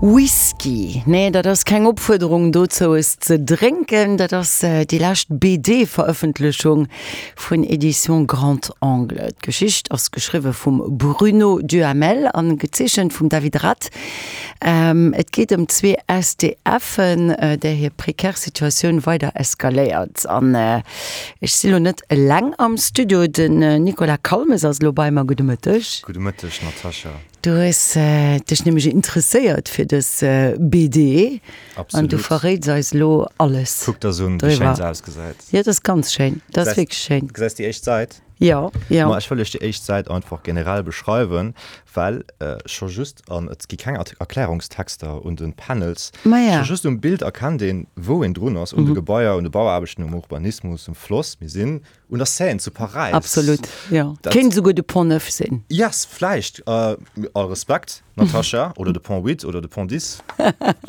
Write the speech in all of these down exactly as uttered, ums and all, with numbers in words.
Whisky, nee, dat ass keng Opfuerderung dozou es ze drénken, dat ass déi lescht BD-Verëffentlechung vun Editions Grand Angle. D'Geschicht ass geschriwwe vum Bruno Duhamel an gezeechent vum David Rath. Et geet ëm zwee SDFen, där hir prekär Situatioun weider eskaléiert. An ech si lo net eleng am Studio, den Nicolas Calmes ass elo bei mer. Gudde Mëtteg. Gudde Mëtteg, Natascha. Du hues dech nämlech interesséiert fir dës BD. Absolut. An du verréits eis elo alles. Kuck der se un, wéi schéin se ausgesäit. Jo, dat ass ganz schéin. Dat ass wierklech schéin. Du gesäis déi éischt Säit? Jo, jo. Ma ech wëll iech déi éischt Säit einfach generell beschreiwen, well scho just, an et gi keng Erklärungstexter un de Panels, Maja. scho just um Bild erkennt een, wou een drun ass, un de Gebaier, un de Bauaarbechten, um Urbanismus, um Floss. Mir sinn Un der Seine zu Paräis. Absolut, jo. Dat. Kéint esouguer de Pont Neuf sinn. Yes, vläicht. All Respekt, Natascha. Oder de Pont Huit oder de Pont Dix.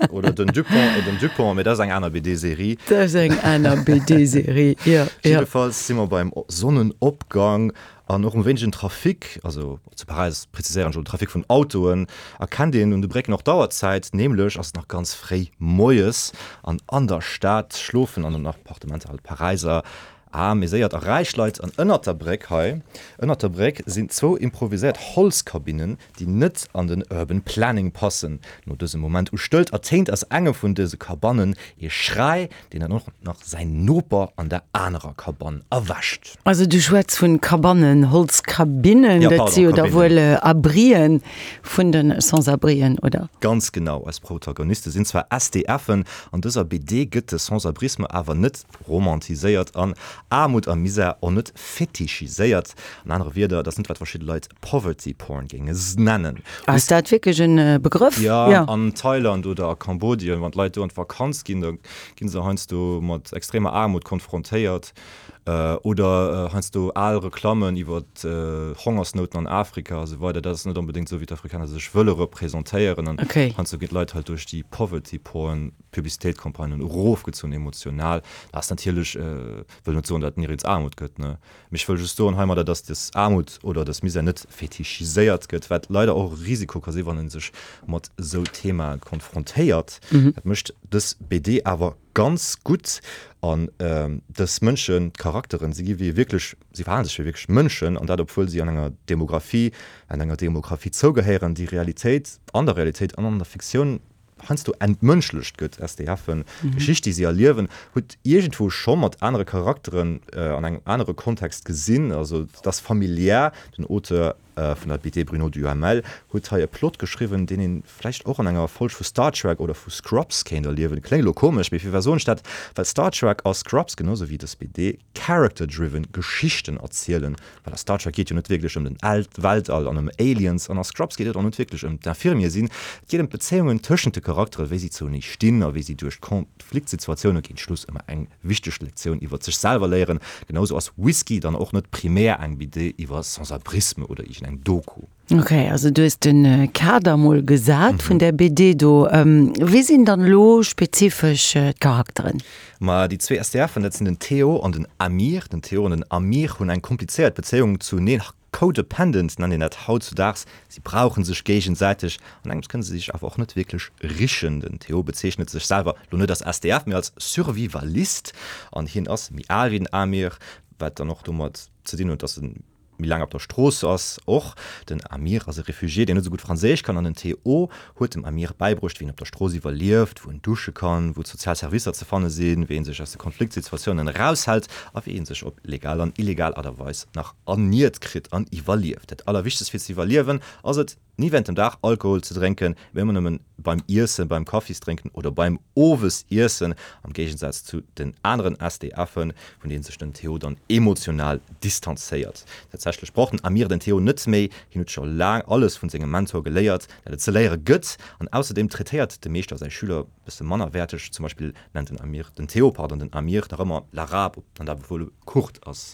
Oder den Dupont, den Dupont, mee dat ass eng aner BD-Serie. Dat ass eng aner BD-Serie, jo, jo. Jiddefalls si mer beim Sonnenopgang an och um wéinegen Trafic, also zu Paräis preziséieren ech elo, Trafic vun Autoen, erkennt een un de Brécken och d'Auerzäit, nämlech ass et nach ganz fréi moies an an der Stad schlofen an den Appartementer halt Paräiser Aarm, mee séiert a räich Leit. An ënnert der Bréck hei, ënnert der Bréck sinn zwou improviséiert Holzkabinnen, déi net an den Urban Planning passen. No dësem Moment u Stëllt ertéint aus enge vun dëse Kabannen ee Schräi, deen dann och nach säin Noper an der anerer Kabann erwächt. Also du schwätz vun Kabannen, Holzkabinnen, Ja, dat pardon, si jo da Kabinnen. wuel Abrien vun de Sans-abrien, oder? Ganz genau, eis Protagoniste sinn zwar SDFen, an dëser BD gëtt de Sans-abrisme awer net romantiséiert an Aarmut a Misär och net fetichiséiert. An anere Wierder, et ass net wat verschidde Leit Poverty Porn géinge nennen. Ass dat wierklech en Begrëff? Jo, an Thailand oder a Kambodien, wann d'Leit do an d'Vakanz ginn, da gi se heiansdo mat extremer Aarmut konfrontéiert. Oder heiansdo al Reklammen iwwer Hongersnouten an Afrika a sou weider. Dat ass net onbedéngt esou, wéi d'Afrikaner sech wëlle representéieren. An heiansdo ginn d'Leit halt duerch déi Poverty Porn Publicitéitcampagnen erofgezunn emotional. Dat ass natierlech, wëll net soen, datt et nirgends Aarmut gëtt, ne, mee ech wëll just soen heimadder, datt dës Aarmut oder dës Misär net fetichiséiert gëtt, wat leider och e Risiko ka sinn, wann ee sech mat esou Themae konfrontéiert. Dat mécht dës BD awer ganz gutt. An dës Mënschen, d'Charakteren, si gi wéi wierklech, si verhale sech wéi wierklech Mënschen, an dat obwuel si an enger Demographie, an enger Demographie zougehéieren, déi Realitéit, an der Realitéit an an der Fiktioun heiansdo entmënschlecht gëtt. SDFen, d'Geschicht, déi si erliewen, hutt iergendwou scho mat anere Charakteren an engem anere Kontext gesinn. Also et ass familiär. Den Auteur vun der BD, Bruno Duhamel, huet hei e Plot geschriwwen, deen ee vläicht och an enger Folg vu Star Trek oder vu Scrubs kéint erliewen. Kléngt elo komesch, mee firwat soen ech dat? Well Star Trek a Scrubs, genau sou wéi dës BD, character-driven Geschichten erzielen. Well a Star Trek geet jo net wierklech ëm den Weltall an ëm Aliens, an a Scrubs geet et och net wierklech ëm d'Infirmier sinn. Et geet ëm d'Bezéiungen tëschent de Charakteren, wéi si zouenee stinn a wéi si duerch d'Konfliktsituatioune géint Schluss ëmmer eng wichteg Lektioun iwwer sech selwer léieren. Genau sou ass Whisky dann och net primär eng BD iwwer Sans-abrisme oder iergendeng Doku. Ok, also du hues de Kader mol gesat vun där BD do. Wie sinn dann elo spezifesch d'Charakteren? Ma déi zwee SDFen, dat sinn den Theo an den Amir. Den Theo an den Amir hunn eng komplizéiert Bezéiung zuneen, codependent nennt een dat hautzudaags. Si brauche sech géigesäiteg. An engems kënne se sech awer och net wierklech richen. Den Theo bezeechnet sech selwer lo net als SDF, mee als Survivalist. An hien ass méi al wéi den Amir, wat dann och domat ze dinn huet, dass en méi laang op der Strooss ass. Och den Amir ass e Refugié, deen net esou gutt Franséisch kann an den Theo huet dem Amir bäibruecht, wéi een op der Strooss iwwerlieft, wou en dusche kann, wou d'sozial Servicer ze fanne sinn, wéi ee sech aus de Konfliktsituatiounen eraushält a wéi ee sech op legal an illegal Aart a Weis nach erniert kritt an iwwerlieft. Dat Allerwichtegst fir ze iwwerliewen ass et, Ni während dem Dag Alkohol ze drénken, mee ëmmer nëmmen beim Iessen, beim Kaffisdrénken oder beim Owesiessen, am Géigensaz zu den aneren SDFen, vun deenen sech den Theo dann emotional distanzéiert. Tatsächlech brauch den Amir den Theo net méi, hien huet scho laang alles vun sengem Mentor geléiert, dat et ze léiere gëtt, an ausserdeem traitéiert de Meeschter säi Schüler bësse mannerwäerteg, zum Beispill nennt den Amir den Theo, pardon, den Amir nach ëmmer l'Arabe, an dat obwuel e Kurd ass.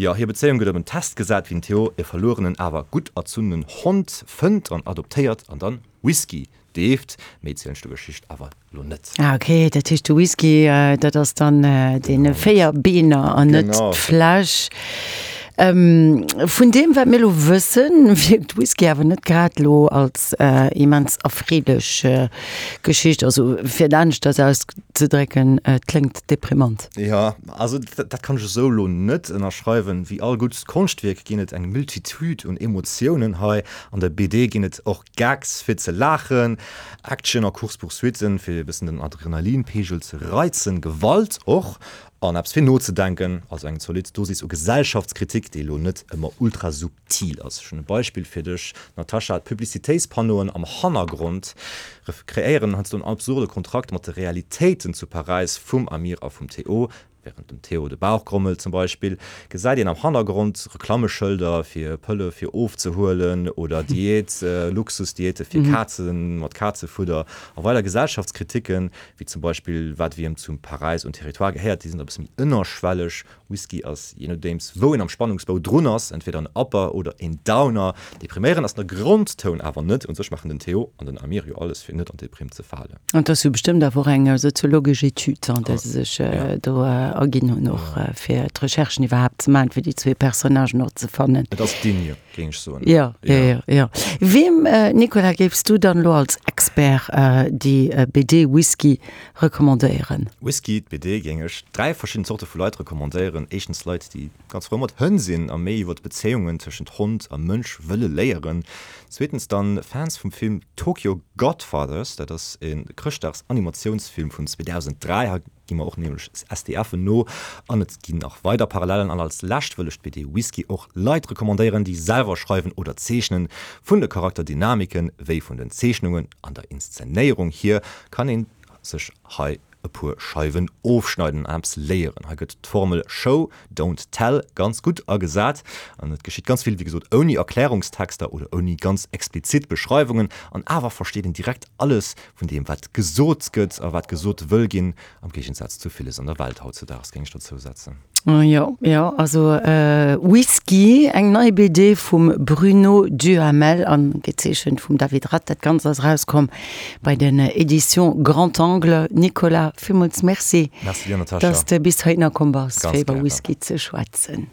Jo, hir Bezéiung gëtt op en Test gesat, wéi den Theo e verluerenen, awer gutt erzunnenen Hond fënnt an adoptéiert an dann Whisky deeft. Méi zielen ech der Geschicht awer lo net. Ah ok, dat heescht de Whisky, dat ass dann dee Véierbeener an net d'Fläsch. Vun deem, wat mir elo wëssen, wierkt Whisky awer net grad elo als immens erfreelech Geschicht. Also fir et aneschters auszedrécken, et kléngt deprimant. Jo, also dat kann ech esou elo net ënnerschreiwen. Wéi all gutt Konschtwierk ginn et eng Multitude un Emotiounen hei. An der B D ginn et och Gags fir ze laachen, Action a Course-poursuitten fir e bëssen den Adrenalinpeegel ze reizen, Gewalt och an eppes fir nozedenken, also eng zolidd Dosis u Gesellschaftskritik, déi elo net ëmmer ultra subtil ass. Ech hunn e Beispill fir dech, Natascha, D'Publicitéitspannoen am Hannergrond kreéieren heiansdo en absurde Kontrakt mat de Realitéiten zu Paräis vum Amir a vum Théo. Wärend dem Théo de Bauch grommelt zum Beispill, gesäit een am Hannergrond Reklammeschëlder fir Pëlle fir ofzehuelen oder Diät, Luxusdiäte fir Kazen mat Kazefudder a weider Gesellschaftskriticken, wéi zum Beispill wat wiem zu Paräis un Territoire gehéiert, déi sinn da e bësse méi ënnerschwelleg. Whisky ass, jee nodeems wou een am Spannungsbou drun ass, entweder en Upper oder een Downer. Depriméierend ass de Grondtoun awer net. Un sech maachen den Théo an den Amir jo alles fir net an d'Deprimm ze falen. An et ass jo bestëmmt awer och eng soziologesch Etüd, an där se sech do erginn hunn, och fir d'Recherchen iwwerhaapt ze maachen, fir déi zwee Personnagen och ze fannen. Et ass digne, géing ech soen. Jo, jo, jo, jo. Weem, Nicolas, géifs du dann elo als Expert déi B D Whisky recommandéieren? Whisky, d'B D géing ech dräi verschidden Zorte vu Leit recommandéieren. Éischtens Leit, déi ganz frou mat Hënn sinn a méi iwwer d'Bezéiungen tëschent Hond a Mënsch wëlle léieren. Zweetens dann Fans vum Film Tokyo Godfathers, dat ass e Chrëschtdags-Animatiounsfilm vun zweedausend dräi. Hei gi mer och nämlech S D Fen no an et ginn nach weider Parallellen. An als lescht wëll ech d'B D Whisky och Leit recommandéieren, déi selwer schreiwen oder zeechnen. Vun de Charakterdynamiken wéi vun den Zeechnungen an der Inszenéierung hier kann ee sech hei e puer Scheiwen ofschneiden an eppes léieren. Hei gëtt d'Formel Show, don't tell ganz gutt agesat an et geschitt ganz vill, wéi gesot, ouni Erklärungstexter oder ouni ganz explizit Beschreiwungen an awer versteet een direkt alles vun deem, wat gesot gëtt a wat gesot wëll ginn, am Géigensaz zu villes an der Welt hautzedaags, géing ech dozou setzen. Jo, jo, also Whisky, eng nei B D vum Bruno Duhamel an gezeechent vum David Rath. Dat Ganzt ass erauskomm bei den Editions Grand Angle. Nicolas, villmools Merci, Merci dir, Natascha. dass de bis heihinner komm bass, Ganz fir iwwer gären. Whisky ze schwätzen.